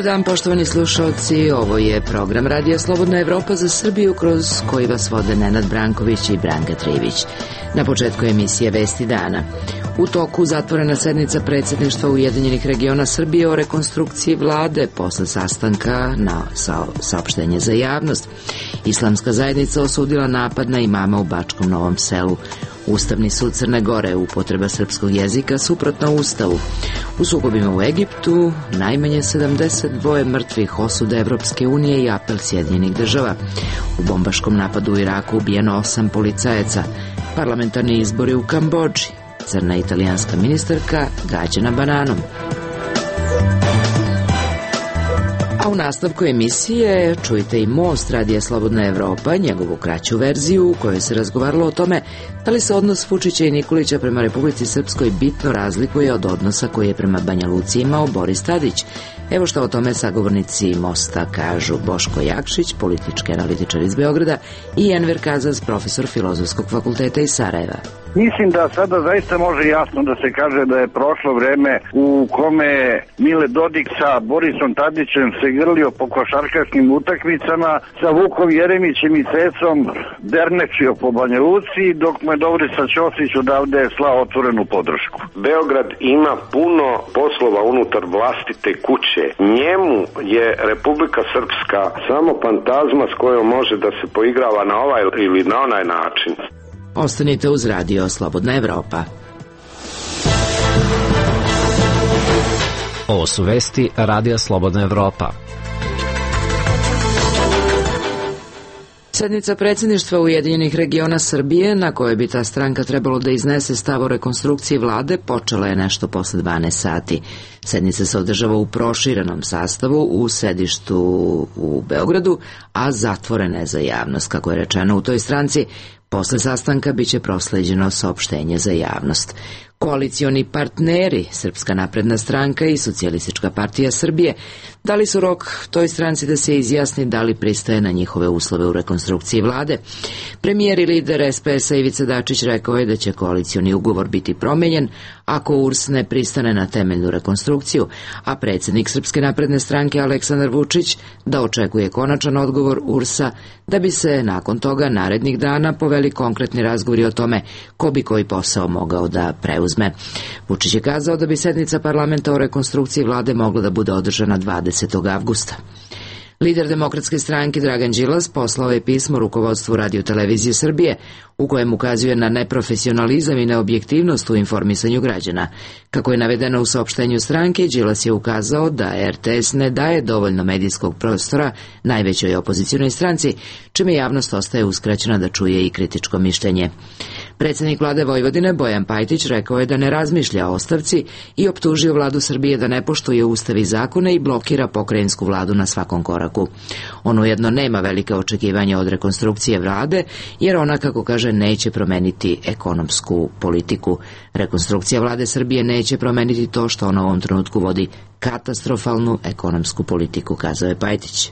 Dobar dan, poštovani slušalci, ovo je program Radija Slobodna Evropa za Srbiju, kroz koji vas vode Nenad Branković i Branka Trivić. Na početku emisije Vesti dana. U toku zatvorena sednica predsjedništva Ujedinjenih regiona Srbije o rekonstrukciji vlade posle sastanka na saopštenje za javnost. Islamska zajednica osudila napad na imama u Bačkom Novom Selu. Ustavni sud Crne Gore, upotreba srpskog jezika suprotno Ustavu. U sukobima u Egiptu najmanje 72 mrtvih, osude Evropske unije i apel Sjedinjenih država. U bombaškom napadu u Iraku ubijeno 8 policajaca. Parlamentarni izbori u Kambodži. Crna italijanska ministarka gađana bananom. A u nastavku emisije čujte i Most Radija Slobodna Evropa, njegovu kraću verziju u kojoj se razgovaralo o tome da li se odnos Vučića i Nikolića prema Republici Srpskoj bitno razlikuje od odnosa koji je prema Banja Luci imao Boris Tadić. Evo što o tome sagovornici Mosta kažu: Boško Jakšić, politički analitičar iz Beograda, i Enver Kazaz, profesor Filozofskog fakulteta iz Sarajeva. Mislim da sada zaista može jasno da se kaže da je prošlo vreme u kome Mile Dodik sa Borisom Tadićem se grlio po košarkaškim utakmicama, sa Vukom Jeremićem i Cecom dernečio po Banja Luci, dok mu je Dobrica Ćosić odavde slao otvorenu podršku. Beograd ima puno poslova unutar vlastite kuće. Njemu je Republika Srpska samo fantazma s kojom može da se poigrava na ovaj ili na onaj način. Ostanite uz Radio Slobodna Evropa. Ovo su vesti Radija Slobodna Evropa. Sednica predsjedništva Ujedinjenih regiona Srbije, na kojoj bi ta stranka trebalo da iznese stav o rekonstrukciji vlade, počela je nešto posle 12 sati. Sednica se održava u proširenom sastavu u sedištu u Beogradu, a zatvorena je za javnost, kako je rečeno u toj stranci. Posle sastanka biće prosleđeno saopštenje za javnost. Koalicioni partneri, Srpska napredna stranka i Socijalistička partija Srbije, dali su rok toj stranci da se izjasni da li pristaje na njihove uslove u rekonstrukciji vlade. Premijer i lider SPS-a Ivica Dačić rekao je da će koalicioni ugovor biti promenjen ako URS ne pristane na temeljnu rekonstrukciju, a predsjednik Srpske napredne stranke Aleksandar Vučić da očekuje konačan odgovor URS-a, da bi se nakon toga narednih dana poveli konkretni razgovori o tome ko bi koji posao mogao da preuzme. Vučić je kazao da bi sednica parlamenta o rekonstrukciji vlade mogla da bude održana 20. avgusta. Lider Demokratske stranke Dragan Đilas poslao je pismo rukovodstvu Radio-televizije Srbije u kojem ukazuje na neprofesionalizam i neobjektivnost u informisanju građana. Kako je navedeno u saopštenju stranke, Đilas je ukazao da RTS ne daje dovoljno medijskog prostora najvećoj opozicionoj stranci, čime javnost ostaje uskraćena da čuje i kritičko mišljenje. Predsjednik vlade Vojvodine Bojan Pajtić rekao je da ne razmišlja o ostavci i optužio vladu Srbije da ne poštuje ustav i zakone i blokira pokrajinsku vladu na svakom koraku. On ujedno nema velike očekivanja od rekonstrukcije vlade, jer ona, kako kaže, neće promeniti ekonomsku politiku. Rekonstrukcija vlade Srbije neće promeniti to što ona u ovom trenutku vodi katastrofalnu ekonomsku politiku, kazao je Pajtić.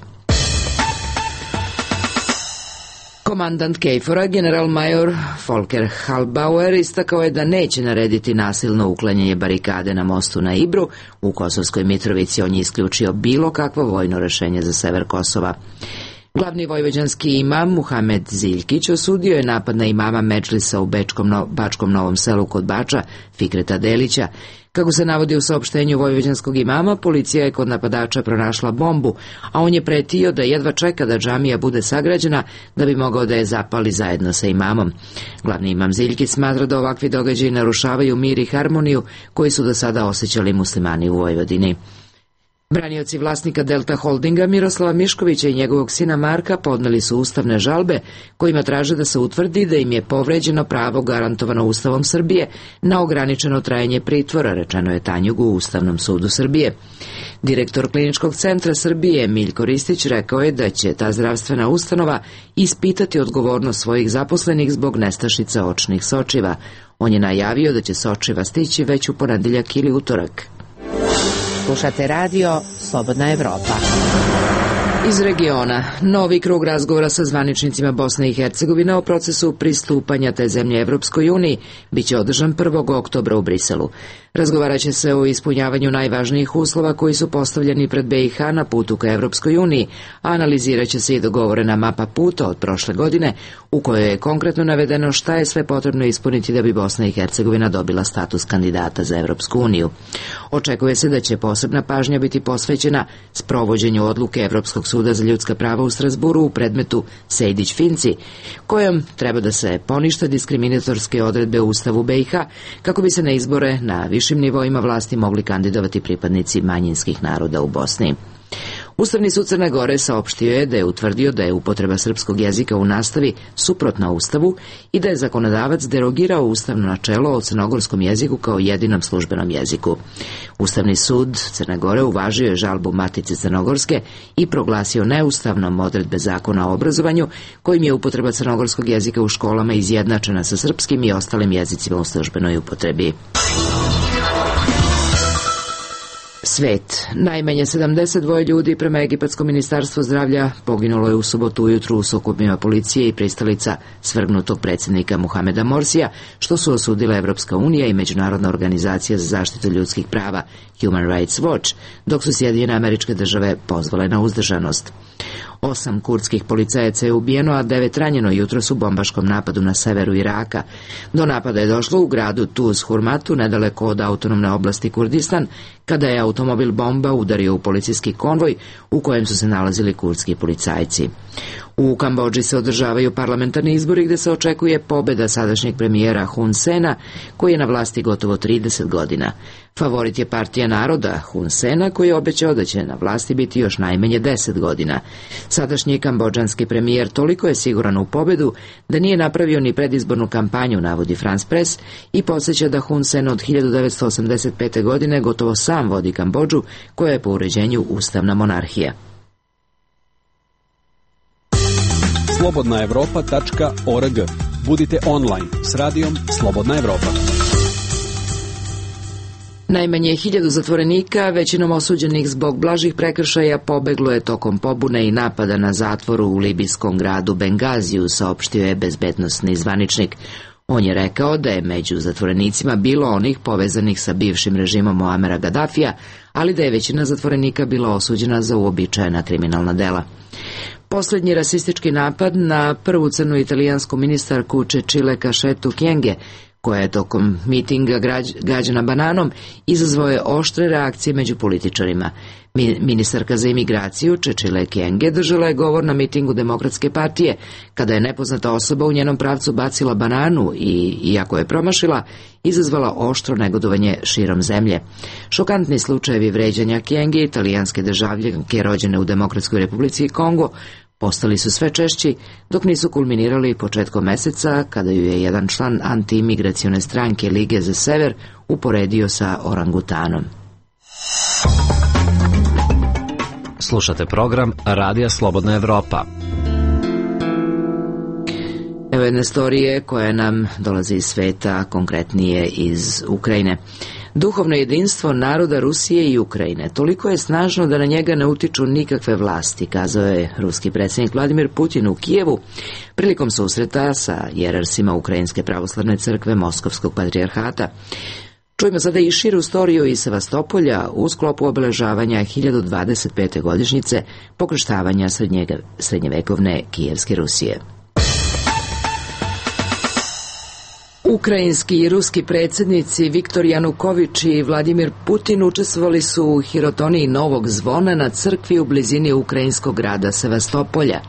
Komandant KFOR-a, general-major Volker Halbauer, istakao je da neće narediti nasilno uklanjanje barikade na mostu na Ibru u Kosovskoj Mitrovici. On je isključio bilo kakvo vojno rešenje za sever Kosova. Glavni vojvođanski imam Muhamed Ziljkić osudio je napad na imama Medžlisa u Bačkom Novom Selu kod Bača, Fikreta Delića. Kako se navodi u saopštenju vojvođanskog imama, policija je kod napadača pronašla bombu, a on je pretio da jedva čeka da džamija bude sagrađena da bi mogao da je zapali zajedno sa imamom. Glavni imam Ziljkić smatra da ovakvi događaji narušavaju mir i harmoniju koji su do sada osjećali muslimani u Vojvodini. Branioci vlasnika Delta Holdinga Miroslava Miškovića i njegovog sina Marka podneli su ustavne žalbe kojima traže da se utvrdi da im je povređeno pravo garantovano Ustavom Srbije na ograničeno trajanje pritvora, rečeno je Tanjugu u Ustavnom sudu Srbije. Direktor Kliničkog centra Srbije Miljko Ristić rekao je da će ta zdravstvena ustanova ispitati odgovornost svojih zaposlenih zbog nestašica očnih sočiva. On je najavio da će sočiva stići već u ponedeljak ili utorak. Slušate Radio Slobodna Evropa. Iz regiona, novi krug razgovora sa zvaničnicima Bosne i Hercegovine o procesu pristupanja te zemlje Evropskoj uniji biće održan 1. oktobra u Briselu. Razgovarat će se o ispunjavanju najvažnijih uslova koji su postavljeni pred BiH na putu ka Evropskoj uniji, a analizirat će se i dogovorena mapa puta od prošle godine u kojoj je konkretno navedeno šta je sve potrebno ispuniti da bi Bosna i Hercegovina dobila status kandidata za Evropsku uniju. Očekuje se da će posebna pažnja biti posvećena sprovođenju odluke Evropskog suda za ljudska prava u Strasburu u predmetu Sejdić-Finci, kojom treba da se ponište diskriminatorske odredbe u Ustavu BiH kako bi se na izbore na višim nivoima vlasti mogli kandidovati pripadnici manjinskih naroda u Bosni. Ustavni sud Crne Gore saopštio je da je utvrdio da je upotreba srpskog jezika u nastavi suprotna Ustavu i da je zakonodavac derogirao ustavno načelo o crnogorskom jeziku kao jedinom službenom jeziku. Ustavni sud Crne Gore uvažio je žalbu Matice Crnogorske i proglasio neustavnom odredbe zakona o obrazovanju kojim je upotreba crnogorskog jezika u školama izjednačena sa srpskim i ostalim jezicima u službenoj upotrebi. Svet. Najmanje 72 ljudi prema Egipatskom ministarstvu zdravlja poginulo je u subotu ujutru u sukobima policije i pristalica svrgnutog predsjednika Muhameda Morsija, što su osudile Evropska unija i Međunarodna organizacija za zaštitu ljudskih prava Human Rights Watch, dok su Sjedinjene Američke Države pozvale na uzdržanost. 8 kurdskih policajaca je ubijeno, a 9 ranjeno jutros u bombaškom napadu na severu Iraka. Do napada je došlo u gradu Tuz Hurmatu, nedaleko od autonomne oblasti Kurdistan, kada je automobil bomba udario u policijski konvoj u kojem su se nalazili kurdski policajci. U Kambodži se održavaju parlamentarni izbori gde se očekuje pobeda sadašnjeg premijera Hun Sena, koji je na vlasti gotovo 30 godina. Favorit je Partija naroda Hun Sena, koji je obećao da će na vlasti biti još najmanje 10 godina. Sadašnji kambodžanski premijer toliko je siguran u pobedu da nije napravio ni predizbornu kampanju, navodi France Press, i podsjeća da Hun Sen od 1985. godine gotovo sam vodi Kambodžu, koja je po uređenju ustavna monarhija. slobodnaevropa.org. Budite online s radijom Slobodna Evropa. Najmanje 1000 zatvorenika, većinom osuđenih zbog blažih prekršaja, pobeglo je tokom pobune i napada na zatvoru u libijskom gradu Bengaziju, saopštio je bezbednosni zvaničnik. On je rekao da je među zatvorenicima bilo onih povezanih sa bivšim režimom Muamera Gaddafija, ali da je većina zatvorenika bila osuđena za uobičajena kriminalna dela. Poslednji rasistički napad na prvu crnu italijansku ministarku Cecile Cachetu Kyenge, koja je tokom mitinga gađana bananom, izazvao je oštre reakcije među političarima. Ministarka za imigraciju Cecile Kyenge držala je govor na mitingu Demokratske partije, kada je nepoznata osoba u njenom pravcu bacila bananu i, iako je promašila, izazvala oštro negodovanje širom zemlje. Šokantni slučajevi vređanja Kyenge, italijanske državljanke rođene u Demokratskoj republici Kongo, postali su sve češći, dok nisu kulminirali početkom meseca, kada ju je jedan član antiimigracione stranke Lige za sever uporedio sa orangutanom. Slušate program Radija Slobodna Evropa. Evo jedne storije koja nam dolazi iz sveta, konkretnije iz Ukrajine. Duhovno jedinstvo naroda Rusije i Ukrajine toliko je snažno da na njega ne utiču nikakve vlasti, kazao je ruski predsjednik Vladimir Putin u Kijevu prilikom susreta sa jerarsima Ukrajinske pravoslavne crkve Moskovskog patrijarhata. Čujemo sada i širu storiju iz Sevastopolja u sklopu obeležavanja 1025. godišnjice pokrštavanja srednjevekovne Kijevske Rusije. Ukrajinski i ruski predsjednici Viktor Januković i Vladimir Putin učestvovali su u hirotoniji novog zvona na crkvi u blizini ukrajinskog grada Sevastopolja.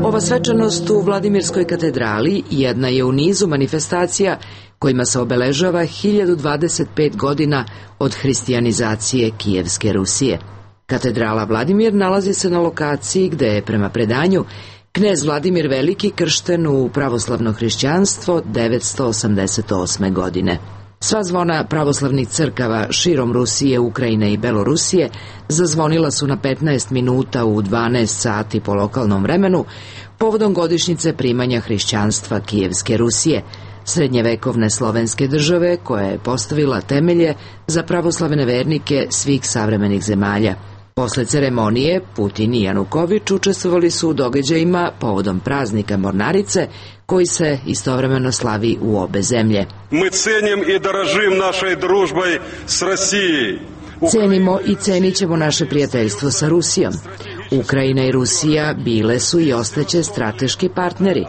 Ova svečanost u Vladimirskoj katedrali jedna je u nizu manifestacija kojima se obeležava 1025 godina od hrišćanizacije Kijevske Rusije. Katedrala Vladimir nalazi se na lokaciji gde je prema predanju knez Vladimir Veliki kršten u pravoslavno hrišćanstvo 988. godine. Sva zvona pravoslavnih crkava širom Rusije, Ukrajine i Belorusije zazvonila su na 15 minuta u 12 sati po lokalnom vremenu povodom godišnjice primanja hrišćanstva Kijevske Rusije, srednjevekovne slovenske države koja je postavila temelje za pravoslavne vernike svih savremenih zemalja. Posle ceremonije, Putin i Januković učestvovali su u događajima povodom praznika Mornarice, koji se istovremeno slavi u obe zemlje. Mi cenim i daražim našoj družboj s Rusijom. Cenimo i cenit ćemo naše prijateljstvo sa Rusijom. Ukrajina i Rusija bile su i ostaće strateški partneri.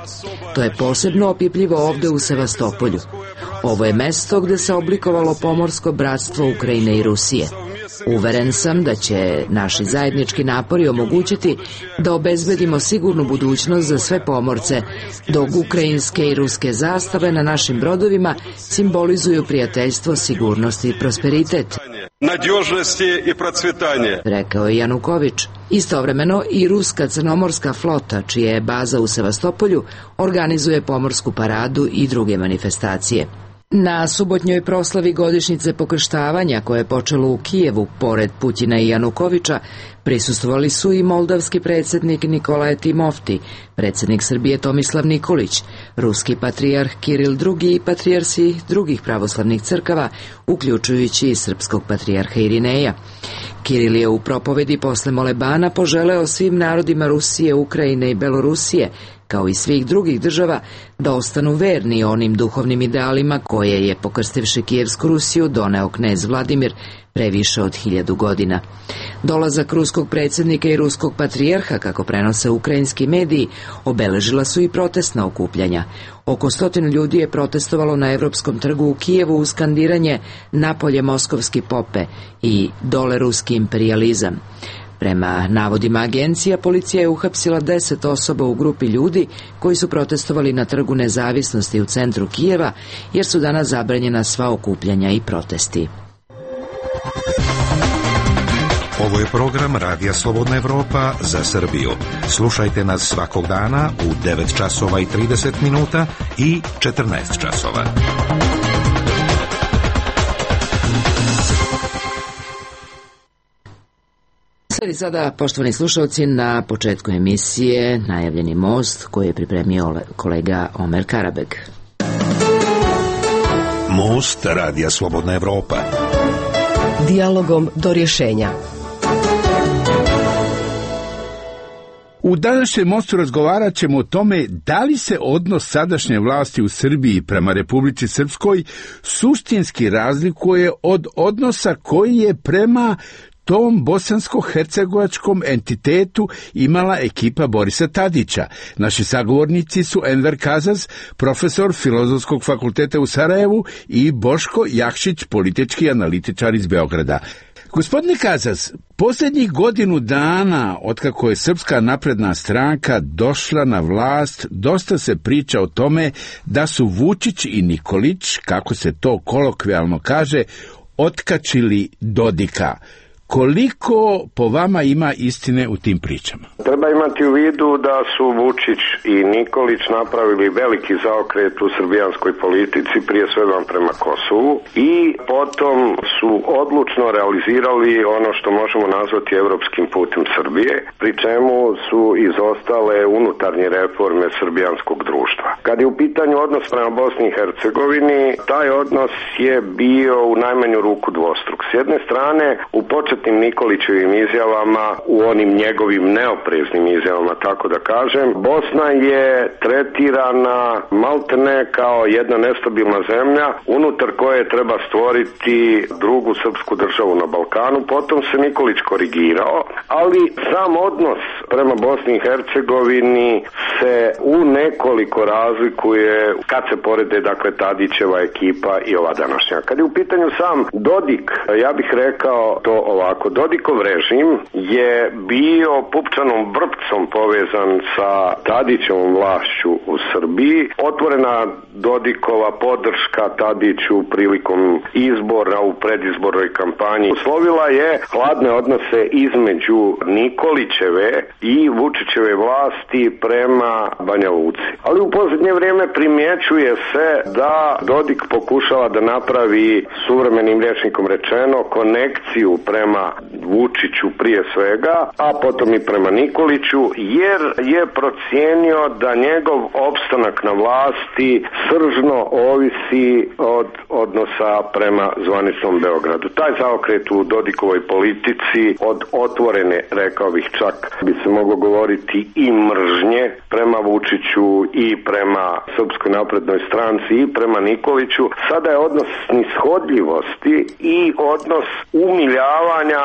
To je posebno opipljivo ovde u Sevastopolju. Ovo je mesto gde se oblikovalo pomorsko bratstvo Ukrajine i Rusije. Uveren sam da će naši zajednički napori omogućiti da obezbedimo sigurnu budućnost za sve pomorce, dok ukrajinske i ruske zastave na našim brodovima simbolizuju prijateljstvo, sigurnost i prosperitet. Nadježnosti i procvetanje, rekao je Januković. Istovremeno i ruska crnomorska flota, čija je baza u Sevastopolju, organizuje pomorsku paradu i druge manifestacije. Na subotnjoj proslavi godišnjice pokrštavanja, koje je počelo u Kijevu, pored Putina i Janukovića, prisustvovali su i moldavski predsjednik Nikolaje Timofti, predsjednik Srbije Tomislav Nikolić, ruski patrijarh Kiril II i patrijarsi drugih pravoslavnih crkava, uključujući i srpskog patrijarha Irineja. Kiril je u propovedi posle molebana poželeo svim narodima Rusije, Ukrajine i Belorusije, kao i svih drugih država, da ostanu verni onim duhovnim idealima koje je, pokrstivši Kijevsku Rusiju, doneo knez Vladimir pre više od 1000 godina. Dolazak ruskog predsjednika i ruskog patrijarha, kako prenose ukrajinski mediji, obeležila su i protestna okupljanja. Oko 100 ljudi je protestovalo na Evropskom trgu u Kijevu uz skandiranje "Napolje moskovski pope" i "Dole ruski imperijalizam". Prema navodima agencija, policija je uhapsila 10 osoba u grupi ljudi koji su protestovali na Trgu Nezavisnosti u centru Kijeva, jer su danas zabranjena sva okupljanja i protesti. Ovo je program Radija Slobodna Evropa za Srbiju. Slušajte nas svakog dana u 9 časova i 30 minuta i 14 časova. Sledi sada, poštovani slušalci, na početku emisije najavljeni most koji je pripremio kolega Omer Karabeg. Most Radija Slobodna Evropa. Dijalogom do rješenja. U današnjem mostu razgovarat ćemo o tome da li se odnos sadašnje vlasti u Srbiji prema Republici Srpskoj suštinski razlikuje od odnosa koji je prema tom bosansko-hercegovačkom entitetu imala ekipa Borisa Tadića. Naši sagovornici su Enver Kazaz, profesor Filozofskog fakulteta u Sarajevu, i Boško Jakšić, politički analitičar iz Beograda. Gospodine Kazaz, posljednjih godinu dana, otkako je Srpska napredna stranka došla na vlast, dosta se priča o tome da su Vučić i Nikolić, kako se to kolokvijalno kaže, otkačili Dodika. Koliko po vama ima istine u tim pričama? Treba imati u vidu da su Vučić i Nikolić napravili veliki zaokret u srbijanskoj politici, prije svega prema Kosovu, i potom su odlučno realizirali ono što možemo nazvati evropskim putem Srbije, pri čemu su izostale unutarnje reforme srbijanskog društva. Kad je u pitanju odnos prema Bosni i Hercegovini, taj odnos je bio u najmanju ruku dvostruk. S jedne strane, u početnim Nikolićevim izjavama, u onim njegovim neopreznim izjavama, tako da kažem, Bosna je tretirana maltene kao jedna nestabilna zemlja unutar koje treba stvoriti drugu srpsku državu na Balkanu. Potom se Nikolić korigirao, ali sam odnos prema Bosni i Hercegovini se u nekoliko razlikuje kad se porede, dakle, Tadićeva ekipa i ova današnja. Kad je u pitanju sam Dodik, ja bih rekao to ovako. Dodikov režim je bio pupčanom vrpcom povezan sa Tadićevom vlašću u Srbiji. Otvorena Dodikova podrška Tadiću prilikom izbora u predizbornoj kampanji uslovila je hladne odnose između Nikolićeve i Vučićeve vlasti prema Banja Luci. Ali u posljednje vrijeme primjećuje se da Dodik pokušava da napravi, suvremenim rječnikom rečeno, konekciju prema Vučiću prije svega, a potom i prema Nikoliću, jer je procijenio da njegov opstanak na vlasti sržno ovisi od odnosa prema zvaničnom Beogradu. Taj zaokret u Dodikovoj politici od otvorene, rekao bih čak bi se moglo govoriti i mržnje prema Vučiću i prema Srpskoj naprednoj stranci i prema Nikoliću, sada je odnos nishodljivosti i odnos umiljavanja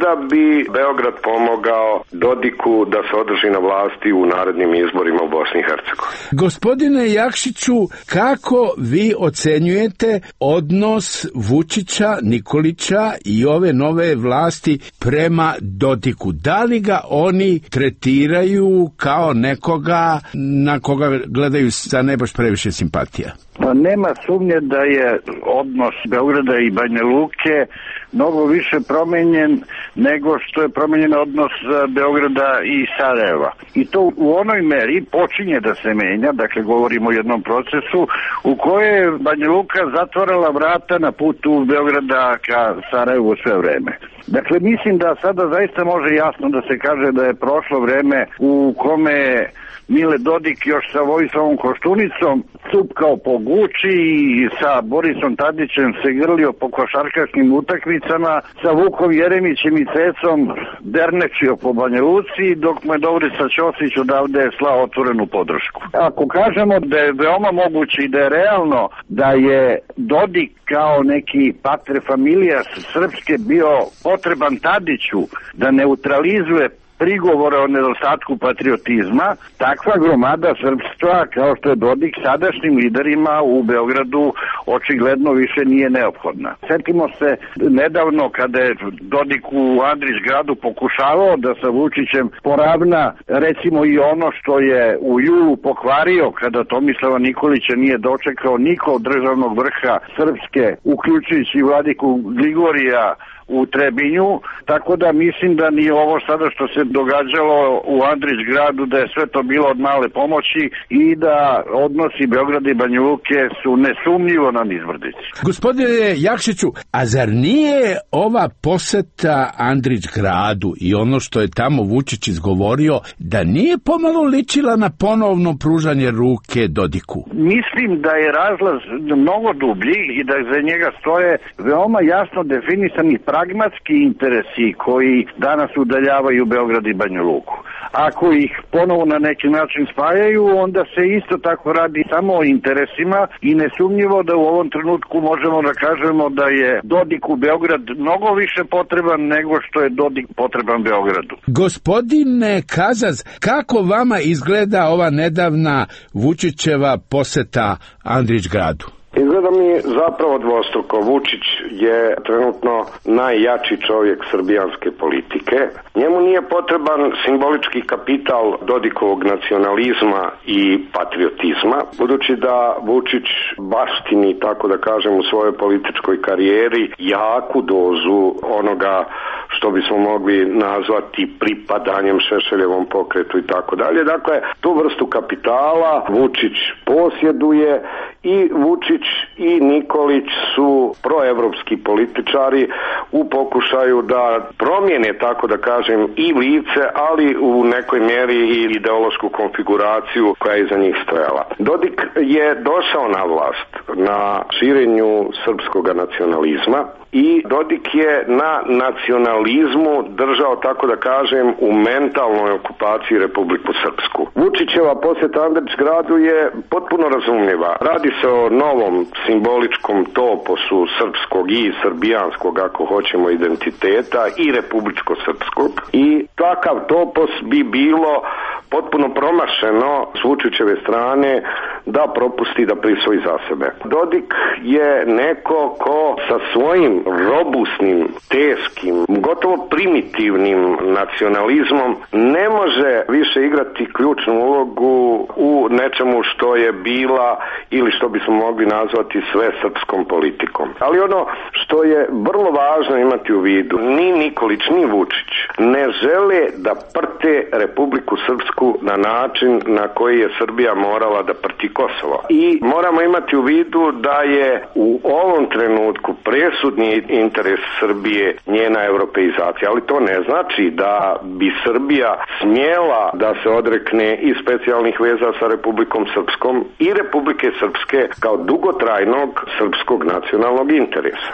da bi Beograd pomogao Dodiku da se održi na vlasti u narednim izborima u Bosni i Hercegovini. Gospodine Jakšiću, kako vi ocenjujete odnos Vučića, Nikolića i ove nove vlasti prema Dodiku? Da li ga oni tretiraju kao nekoga na koga gledaju sa ne baš previše simpatija? Pa nema sumnje da je odnos Beograda i Banja Luke mnogo više promenjen nego što je promenjen odnos Beograda i Sarajeva. I to u onoj meri počinje da se menja, dakle govorimo o jednom procesu u kojoj je Banja Luka zatvorala vrata na putu Beograda ka Sarajevu sve vreme. Dakle, mislim da sada zaista može jasno da se kaže da je prošlo vreme u kome Mile Dodik još sa Vojislavom Koštunicom cupkao po Guči i sa Borisom Tadićem se grlio po košarkaškim utakmicama, sa Vukom Jeremićem i Cecom dernečio po Banja Luci, dok mu je Dobrica Ćosić odavde slao otvorenu podršku. Ako kažemo da je veoma moguće i da je realno da je Dodik kao neki pater familijas srpske bio potreban Tadiću da neutralizuje prigovore o nedostatku patriotizma, takva gromada srpstva kao što je Dodik sadašnjim liderima u Beogradu očigledno više nije neophodna. Sjetimo se nedavno kada je Dodik u Andrićgradu pokušavao da sa Vučićem poravna recimo i ono što je u julu pokvario kada Tomislava Nikolića nije dočekao niko od državnog vrha Srpske, uključujući vladiku Gligorija u Trebinju, tako da mislim da ni ovo sada što se događalo u Andrićgradu da je sve to bilo od male pomoći i da odnosi Beograda i Banja Luke su nesumnjivo na nizbrdici. Gospodine Jakšiću, a zar nije ova poseta Andrićgradu i ono što je tamo Vučić izgovorio, da nije pomalo ličila na ponovno pružanje ruke Dodiku? Mislim da je razlaz mnogo dublji i da za njega stoje veoma jasno definisani pragmatski interesi koji danas udaljavaju Beograd i Banja Luku. Ako ih ponovo na neki način spajaju, onda se isto tako radi samo o interesima i nesumnjivo da u ovom trenutku možemo da kažemo da je Dodik u Beograd mnogo više potreban nego što je Dodik potreban Beogradu. Gospodine Kazaz, kako vama izgleda ova nedavna Vučićeva poseta Andrićgradu? Izgleda mi zapravo dvostruko. Vučić je trenutno najjači čovjek srbijanske politike. Njemu nije potreban simbolički kapital Dodikovog nacionalizma i patriotizma, budući da Vučić baštini, tako da kažem, u svojoj političkoj karijeri jaku dozu onoga što bismo mogli nazvati pripadanjem Šešeljevom pokretu i tako dalje. Dakle, tu vrstu kapitala Vučić posjeduje i Vučić i Nikolić su proevropski političari u pokušaju da promijene, tako da kažem, i lice, ali u nekoj mjeri i ideološku konfiguraciju koja je iza njih stojala. Dodik je došao na vlast na širenju srpskog nacionalizma i Dodik je na nacionalizmu držao, tako da kažem, u mentalnoj okupaciji Republiku Srpsku. Vučićeva posjeta Andrićgradu je potpuno razumljiva. Radi se o novom simboličkom toposu srpskog i srbijanskog, ako hoćemo, identiteta i republičko-srpskog. I takav topos bi bilo potpuno promašeno s Vučićeve strane da propusti da prisvoji za sebe. Dodik je neko ko sa svojim robusnim, teškim, gotovo primitivnim nacionalizmom ne može više igrati ključnu ulogu u nečemu što je bila ili što bismo mogli nazvati sve srpskom politikom. Ali ono što je vrlo važno imati u vidu, ni Nikolić ni Vučić ne žele da prte Republiku Srpsku na način na koji je Srbija morala da prti Kosovo. I moramo imati u vidu da je u ovom trenutku presudni interes Srbije njena europeizacija, ali to ne znači da bi Srbija smjela da se odrekne i specijalnih veza sa Republikom Srpskom i Republike Srpske kao dugotrajnog srpskog nacionalnog interesa.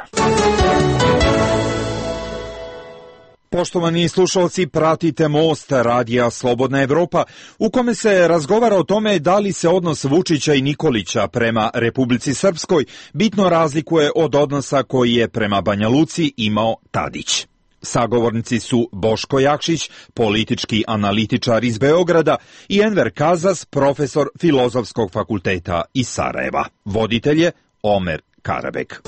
Poštovani slušalci, pratite Most radija Slobodna Evropa, u kome se razgovara o tome da li se odnos Vučića i Nikolića prema Republici Srpskoj bitno razlikuje od odnosa koji je prema Banja Luci imao Tadić. Sagovornici su Boško Jakšić, politički analitičar iz Beograda, i Enver Kazas, profesor Filozofskog fakulteta iz Sarajeva. Voditelj je Omer Karabek.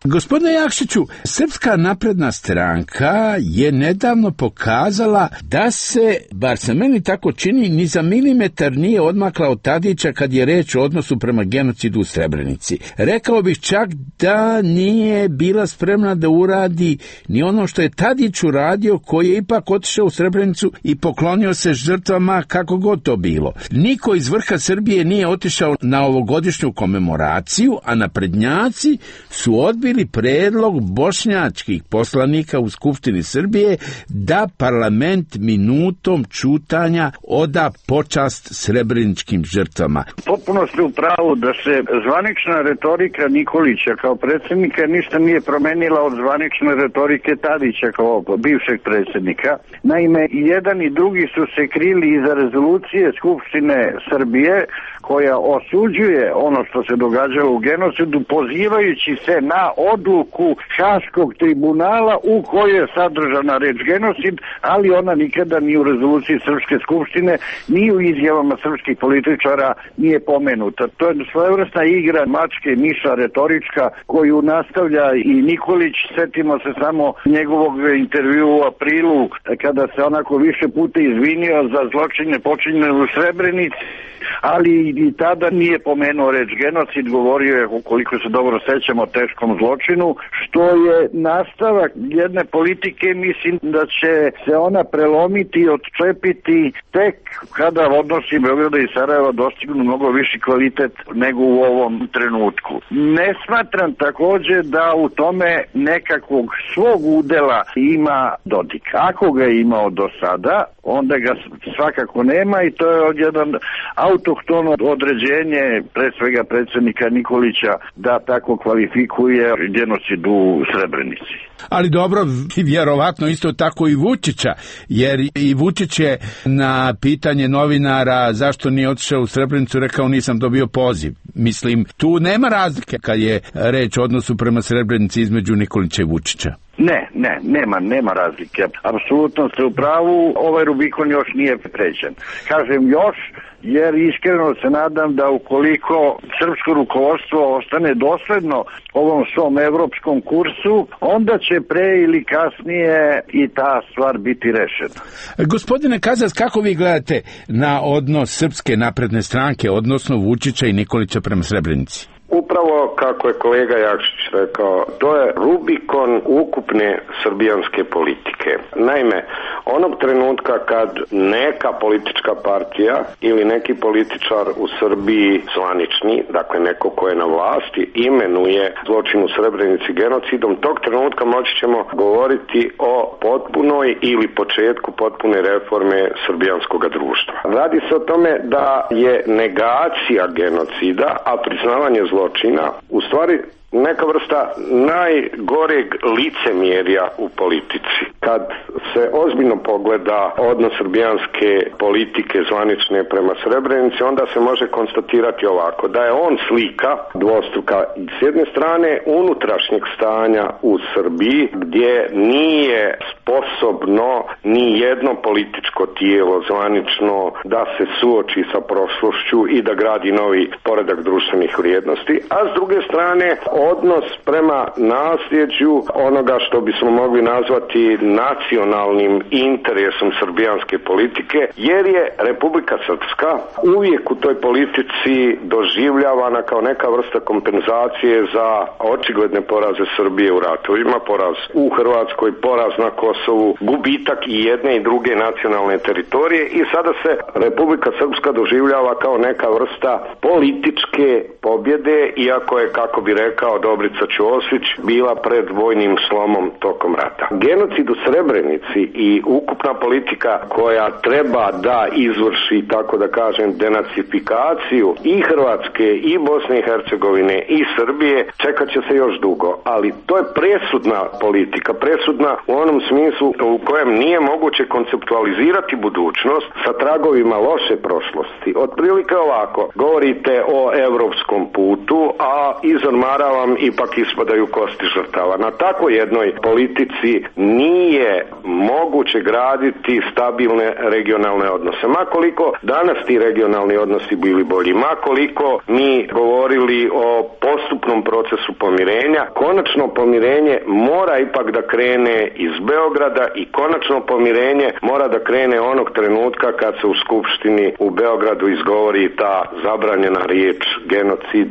Gospodine Jakšiću, Srpska napredna stranka je nedavno pokazala da se, bar se meni tako čini, ni za milimetar nije odmakla od Tadića kad je reč o odnosu prema genocidu u Srebrenici. Rekao bih čak da nije bila spremna da uradi ni ono što je Tadić uradio, koji je ipak otišao u Srebrenicu i poklonio se žrtvama kako god to bilo. Niko iz vrha Srbije nije otišao na ovogodišnju komemoraciju, a naprednjaci su odbili predlog bošnjačkih poslanika u Skupštini Srbije da parlament minutom ćutanja oda počast srebreničkim žrtvama. Potpuno ste u pravu da se zvanična retorika Nikolića kao predsjednika ništa nije promenila od zvanične retorike Tadića kao bivšeg predsjednika. Naime, i jedan i drugi su se krili iza rezolucije Skupštine Srbije koja osuđuje ono što se događalo u genocidu, pozivajući se na odluku Haškog tribunala u kojoj je sadržana reč genocid, ali ona nikada ni u rezoluciji Srpske skupštine, ni u izjavama srpskih političara nije pomenuta. To je svojevrsna igra mačke i miša retorička koju nastavlja i Nikolić. Setimo se samo njegovog intervjua u aprilu kada se onako više puta izvinio za zločine počinjene u Srebrenici, ali i tada nije pomenuo reč genocid, govorio je, ukoliko se dobro sećamo, o teškom zločinu, što je nastavak jedne politike. Mislim da će se ona prelomiti i odčepiti tek kada odnosi Beograda i Sarajeva dostignu mnogo viši kvalitet nego u ovom trenutku. Ne smatram također da u tome nekakvog svog udela ima Dodik. Ako ga je imao do sada, onda ga svakako nema i to je jedan autohtono određenje pre svega predsjednika Nikolića da tako kvalifikuje genocid u Srebrenici. Ali dobro, vjerovatno isto tako i Vučića, jer i Vučić je na pitanje novinara zašto nije otišao u Srebrenicu rekao nisam dobio poziv. Mislim, tu nema razlike kad je reč o odnosu prema Srebrenici između Nikolića i Vučića. Nema razlike. Apsolutno ste u pravu, ovaj Rubikon još nije pređen. Kažem još, jer iskreno se nadam da ukoliko srpsko rukovodstvo ostane dosledno ovom svom evropskom kursu, onda će pre ili kasnije i ta stvar biti rešena. Gospodine Kazas, kako vi gledate na odnos Srpske napredne stranke, odnosno Vučića i Nikolića prema Srebrenici? Upravo kako je kolega Jakšić rekao, to je Rubikon ukupne srbijanske politike. Naime, onog trenutka kad neka politička partija ili neki političar u Srbiji zvanični, dakle neko ko je na vlasti, imenuje zločin u Srebrenici genocidom, tog trenutka moći ćemo govoriti o potpunoj ili početku potpune reforme srbijanskog društva. Radi se o tome da je negacija genocida, a priznavanje zločina u stvari neka vrsta najgoreg licemjerja u politici. Kad se ozbiljno pogleda odnos srbijanske politike zvanične prema Srebrenici, onda se može konstatirati ovako, da je on slika dvostruka s jedne strane unutrašnjeg stanja u Srbiji, gdje nije sposobno ni jedno političko tijelo zvanično da se suoči sa prošlošću i da gradi novi poredak društvenih vrijednosti, a s druge strane odnos prema nasljeđu onoga što bismo mogli nazvati nacionalnim interesom srbijanske politike, jer je Republika Srpska uvijek u toj politici doživljavana kao neka vrsta kompenzacije za očigledne poraze Srbije u ratovima, poraz u Hrvatskoj, poraz na Kosovu, gubitak i jedne i druge nacionalne teritorije, i sada se Republika Srpska doživljava kao neka vrsta političke pobjede, iako je, kako bi rekao Dobrica Ćosić, bila pred vojnim slomom tokom rata. Genocid u Srebrenici i ukupna politika koja treba da izvrši, tako da kažem, denacifikaciju i Hrvatske i Bosne i Hercegovine i Srbije, čekat će se još dugo, ali to je presudna politika, presudna u onom smislu u kojem nije moguće konceptualizirati budućnost sa tragovima loše prošlosti. Otprilike ovako, govorite o evropskom putu, a iz ormara vam ipak ispadaju kosti žrtava. Na tako jednoj politici nije moguće graditi stabilne regionalne odnose. Makoliko danas ti regionalni odnosi bili bolji, makoliko mi govorili o postupnom procesu pomirenja, konačno pomirenje mora ipak da krene iz Beograda i konačno pomirenje mora da krene onog trenutka kad se u Skupštini u Beogradu izgovori ta zabranjena riječ genocid.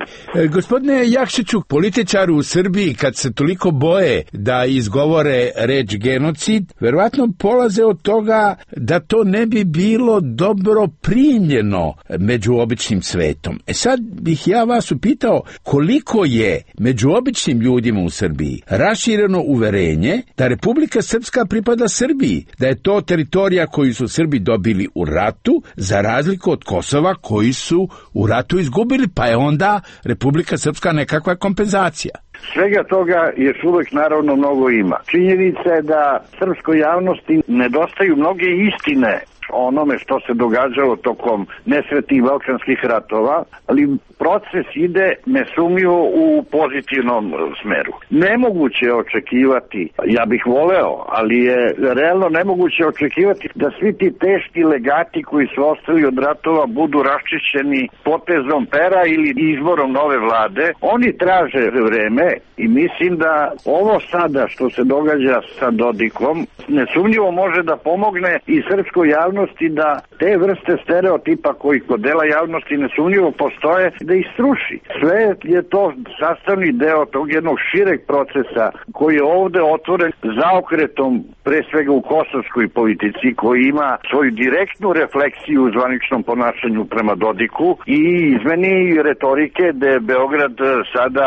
Gospodine Jakšiću, političari u Srbiji kad se toliko boje da izgovore reč genocid, verovatno polaze od toga da to ne bi bilo dobro primljeno među običnim svetom. Sad bih ja vas upitao koliko je među običnim ljudima u Srbiji rašireno uverenje da Republika Srpska pripada Srbiji, da je to teritorija koju su Srbi dobili u ratu, za razliku od Kosova koji su u ratu izgubili, pa je onda Republika Srpska nekakva kompenzacija. Svega toga još uvek naravno mnogo ima. Činjenica je da srpskoj javnosti nedostaju mnoge istine onome što se događalo tokom nesretnih balkanskih ratova, ali proces ide nesumnjivo u pozitivnom smeru. Nemoguće je očekivati, ja bih voleo, ali je realno nemoguće očekivati da svi ti teški legati koji su ostali od ratova budu raščišćeni potezom pera ili izborom nove vlade. Oni traže vreme i mislim da ovo sada što se događa sa Dodikom nesumnjivo može da pomogne i srpskoj javnosti da te vrste stereotipa koji kod dela javnosti nesumnjivo postoje, da ih sruši. Sve je to sastavni deo tog jednog šireg procesa koji je ovde otvoren zaokretom pre svega u kosovskoj politici, koji ima svoju direktnu refleksiju u zvaničnom ponašanju prema Dodiku i izmeni retorike gde Beograd sada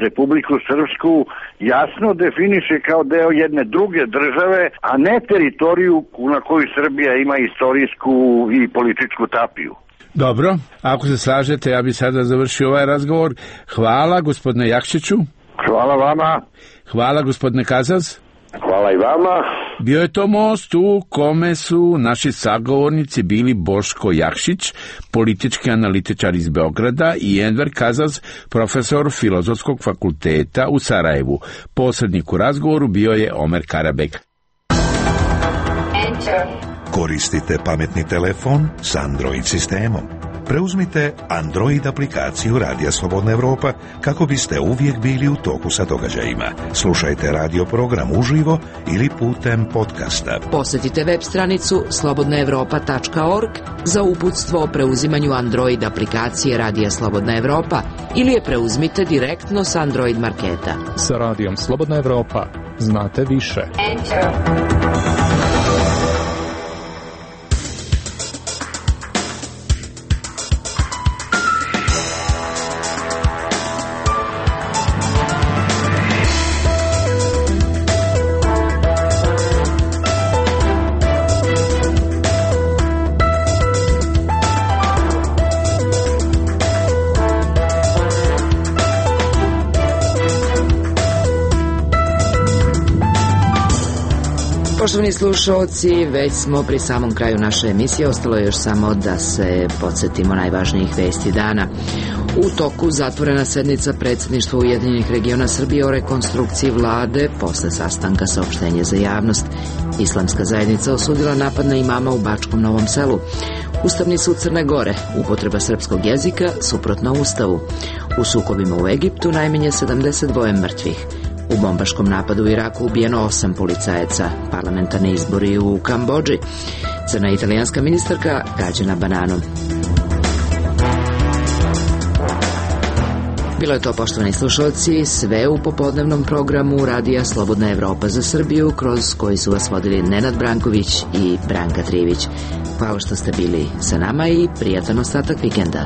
Republiku Srpsku jasno definiše kao deo jedne druge države, a ne teritoriju na koju Srbija ima istorijsku i političku tapiju. Dobro, ako se slažete, ja bih sada završio ovaj razgovor. Hvala gospodine Jakšiću. Hvala vama. Hvala gospodine Kazaz. Hvala i vama. Bio je to most u kome su naši sagovornici bili Boško Jakšić, politički analitičar iz Beograda, i Enver Kazaz, profesor Filozofskog fakulteta u Sarajevu. Posrednik u razgovoru bio je Omer Karabek. Koristite pametni telefon s Android sistemom. Preuzmite Android aplikaciju Radija Slobodna Evropa kako biste uvijek bili u toku sa događajima. Slušajte radio program uživo ili putem podcasta. Posjetite web stranicu slobodnaevropa.org za uputstvo o preuzimanju Android aplikacije Radija Slobodna Evropa ili je preuzmite direktno s Android marketa. Sa Radijom Slobodna Evropa znate više. Poštovani slušalci, već smo pri samom kraju naše emisije, ostalo je još samo da se podsjetimo najvažnijih vesti dana. U toku zatvorena sednica predsjedništva Ujedinjenih regiona Srbije o rekonstrukciji vlade posle sastanka saopštenja za javnost. Islamska zajednica osudila napad na imama u Bačkom Novom Selu. Ustavni sud Crne Gore, upotreba srpskog jezika suprotno Ustavu. U sukobima u Egiptu najmanje 72 mrtvih. U bombaškom napadu u Iraku ubijeno 8 policajaca. Parlamentarni izbori u Kambodži. Crna italijanska ministarka gađena bananom. Bilo je to, poštovani slušalci, sve u popodnevnom programu Radija Slobodna Evropa za Srbiju, kroz koji su vas vodili Nenad Branković i Branka Trivić. Hvala što ste bili sa nama i prijatan ostatak vikenda.